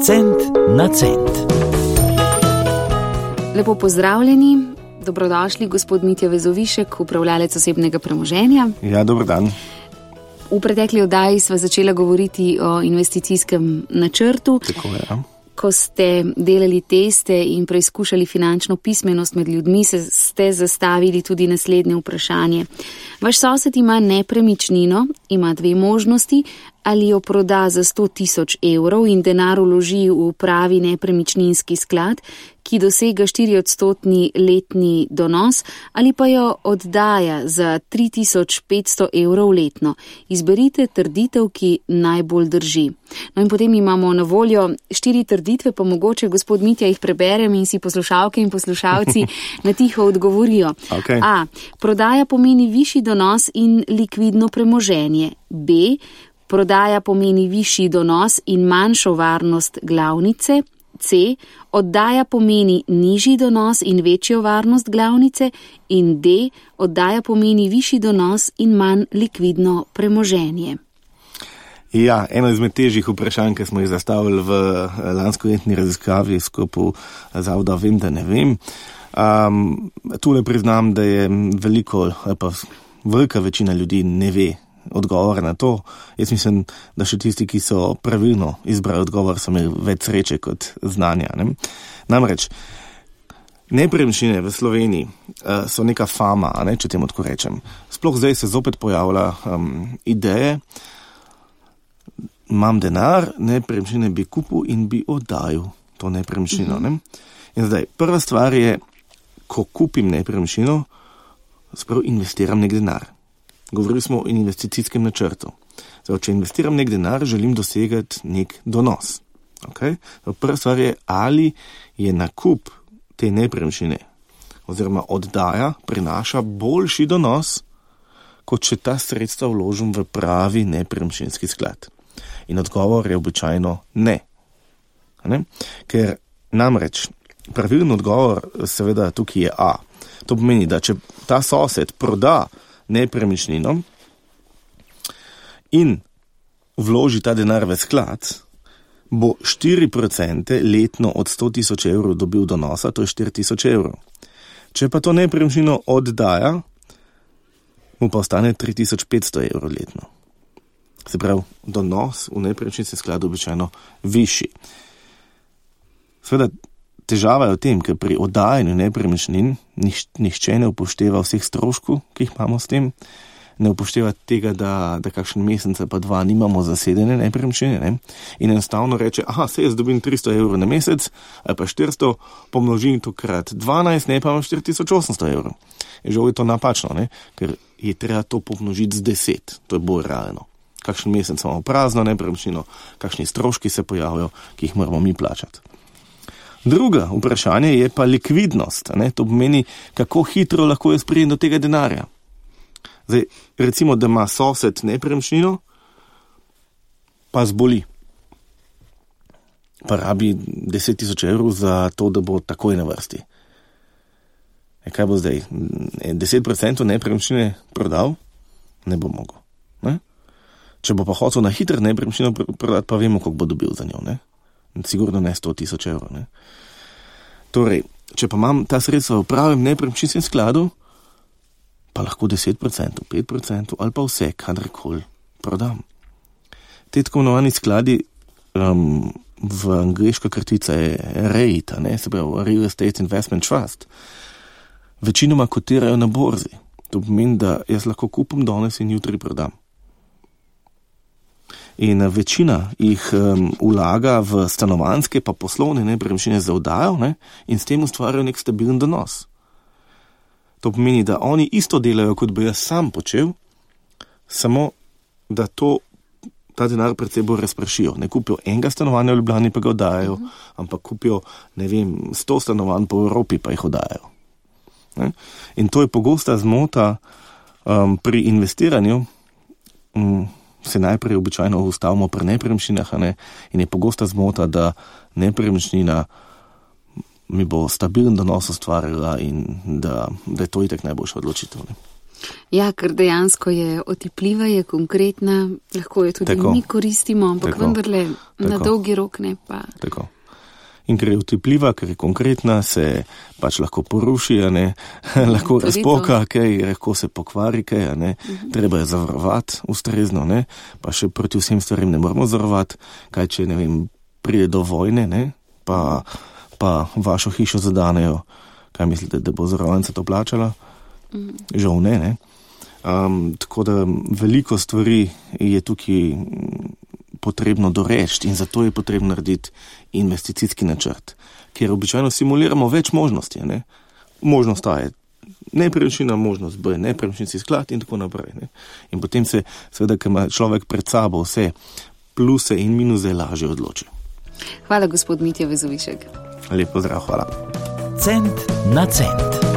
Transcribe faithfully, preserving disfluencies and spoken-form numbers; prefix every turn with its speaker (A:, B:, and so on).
A: Cent na cent.
B: Lepo pozdravljeni, dobrodošli gospod Mitja Vezovišek, upravljalec osebnega premoženja.
C: Ja, dober dan.
B: V pretekli oddaji sva začela govoriti o investicijskem načrtu.
C: Tako je, ja.
B: Ko ste delali teste in preizkušali finančno pismenost med ljudmi, se ste zastavili tudi naslednje vprašanje. Vaš sosed ima nepremičnino, ima dve možnosti, ali jo proda za sto tisoč evrov in denar vloži v pravi nepremičninski sklad, ki dosega štiri odstotni letni donos, ali pa jo oddaja za tri tisoč petsto evrov letno. Izberite trditev, ki najbolj drži. No in potem imamo na voljo štiri trditve, pa mogoče gospod Mitja jih preberem in si poslušalke in poslušalci na tiho odgovorijo.
C: Okay.
B: A. Prodaja pomeni višji donos in likvidno premoženje. B. Prodaja pomeni višji donos in manjšo varnost glavnice. C. Oddaja pomeni nižji donos in večjo varnost glavnice. In D. Oddaja pomeni višji donos in manj likvidno premoženje.
C: Ja, eno izmed težjih vprašanj, ki smo jih zastavili v lanskoletni raziskavi v sklopu zavoda Vem, da ne vem. Um, tule priznam, da je veliko, pa velika večina ljudi ne ve odgovor na to. Jaz mislim, da še tisti, ki so pravilno izbrali odgovor, so imeli več sreče kot znanja. Ne? Namreč, nepremičnine v Sloveniji uh, so neka fama, ne, če temu tako rečem. Sploh zdaj se zopet pojavlja um, ideje, imam denar, nepremičnine bi kupil in bi oddajal to nepremičnino. Ne? In zdaj, prva stvar je, ko kupim nepremičnino, sprav investiram nek denar. Govorili smo o investicijskem načrtu. Zdaj, če investiram nek denar, želim dosegati nek donos. Okay? Prva stvar je, ali je nakup te nepremičnine oziroma oddaja prinaša boljši donos, kot če ta sredstva vložim v pravi nepremičninski sklad. In odgovor je običajno ne. ne? Ker namreč pravilen odgovor seveda tukaj je A. To pomeni, da če ta sosed proda nepremičnino in vloži ta denar v sklad, bo štiri procente letno od sto tisoč evrov dobil donosa, to je štiri tisoč evrov. Če pa to nepremičnino oddaja, mu pa ostane tri tisoč petsto evrov letno. Se pravi, donos v nepremičninskem skladu običajno višji. Seveda, težava je v tem, ker pri oddajanju nepremičnin niš, nihče ne upošteva vseh stroškov, ki jih imamo s tem, ne upošteva tega, da, da kakšen mesec pa dva nimamo zasedene nepremičnine, ne? In enostavno reče, aha, se jaz dobim tristo evrov na mesec, ali pa štiristo, pomnožim to krat dvanajst, ne pa imam štiri tisoč osemsto evrov. Je žal je to napačno, ne? Ker je treba to pomnožiti z deset, to je bolj realno. Kakšen mesec imamo prazno nepremičnino, kakšni stroški se pojavljajo, ki jih moramo mi plačati. Druga vprašanje je pa likvidnost. Ne? To pomeni, kako hitro lahko jaz pridem do tega denarja. Zdaj, recimo, da ima sosed nepremičnino, pa zboli. Pa rabi deset tisoč evrov za to, da bo takoj na vrsti. E, kaj bo zdaj? deset procentov nepremičnine prodal? Ne bo mogel. Ne? Če bo pa hotel na hitro nepremičnino prodati, pa vemo, koliko bo dobil za njo. Ne? Sigurno ne sto tisoč evrov. Ne? Torej, če pa imam ta sredstva v pravem nepremičninskem skladu, pa lahko deset procentov, pet procentov ali pa vse, kadarkoli prodam. Te tako imenovani skladi, um, v angleška kratica je REIT, ne, se pravi Real Estate Investment Trust, večinoma kotirajo na borzi. To pomeni, da jaz lahko kupim danes in jutri prodam. In večina jih um, vlaga v stanovanjske pa poslovne nepremičnine za oddajo, ne, in s tem ustvarjajo nek stabilen donos. To pomeni, da oni isto delajo, kot bi jaz sam počel, samo da to, ta denar pred seboj razpršijo. Ne kupijo enega stanovanja v Ljubljani, pa ga oddajajo, uh-huh. ampak kupijo, ne vem, sto stanovanj po Evropi, pa jih oddajajo. Ne? In to je pogosta zmota um, pri investiranju, um, se najprej običajno ustavimo pri nepremičninah, ne? In je pogosta zmota, da nepremičnina mi bo stabilen donos ustvarila in da, da je to itak najboljša odločitev. Ne?
B: Ja, ker dejansko je otipljiva, je konkretna, lahko jo tudi
C: Tako.
B: mi koristimo, ampak
C: Tako.
B: vendarle na
C: Tako.
B: dolgi rok ne pa.
C: Tako. In ker je otipljiva, ker je konkretna, se pač lahko poruši, a ne, lahko
B: Tudi
C: razpoka, kaj, lahko se pokvari, kaj, a ne, uh-huh. Treba je zavarovati ustrezno, ne, pa še proti vsem stvarem ne moramo zavarovati, kaj če, ne vem, pride do vojne, ne, pa, pa vašo hišo zadanejo, kaj mislite, da bo zavarovalnica to plačala? Uh-huh. Žal ne, ne. Um, tako da veliko stvari je tukaj potrebno doreči in zato je potrebno narediti investicijski načrt, ker običajno simuliramo več možnosti. Ne? Možnost A je nepremičnina, možnost B je nepremičninski sklad in tako naprej. Ne? In potem se, seveda, ker ima človek pred sabo vse pluse in minuse, lažje odloči.
B: Hvala, gospod Mitja Vezovišek.
C: Lep pozdrav, hvala.
A: Cent na cent.